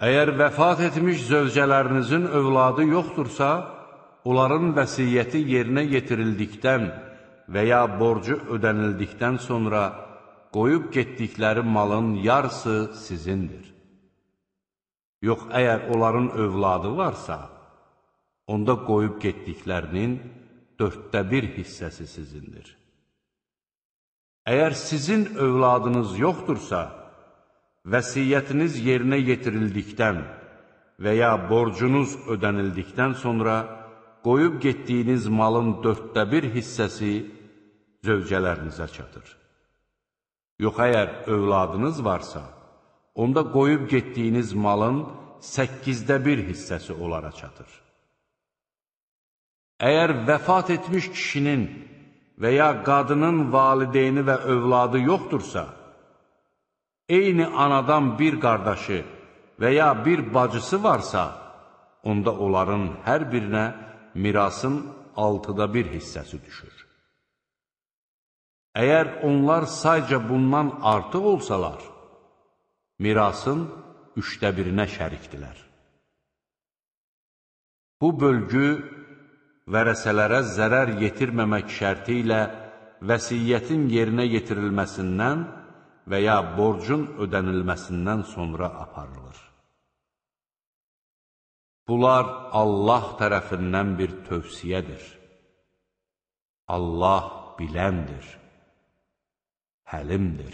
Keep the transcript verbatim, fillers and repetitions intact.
Əgər vəfat etmiş zövcələrinizin övladı yoxdursa, onların vəsiyyəti yerinə yetirildikdən və ya borcu ödənildikdən sonra qoyub getdikləri malın yarısı sizindir. Yox, əgər onların övladı varsa, onda qoyub getdiklərinin dörddə bir hissəsi sizindir. Əgər sizin övladınız yoxdursa, vəsiyyətiniz yerinə yetirildikdən və ya borcunuz ödənildikdən sonra qoyub getdiyiniz malın dörddə bir hissəsi zövcələrinizə çatır. Yox, əgər övladınız varsa, onda qoyub getdiyiniz malın səkkizdə bir hissəsi onlara çatır. Əgər vəfat etmiş kişinin və ya qadının valideyni və övladı yoxdursa, eyni anadan bir qardaşı və ya bir bacısı varsa, onda onların hər birinə mirasın altıda bir hissəsi düşür. Əgər onlar sayca bundan artıq olsalar, mirasın üçdə birinə şərikdilər. Bu bölgü vərəsələrə zərər yetirməmək şərti ilə vəsiyyətin yerinə yetirilməsindən və ya borcun ödənilməsindən sonra aparılır. Bunlar Allah tərəfindən bir tövsiyədir. Allah biləndir, həlimdir.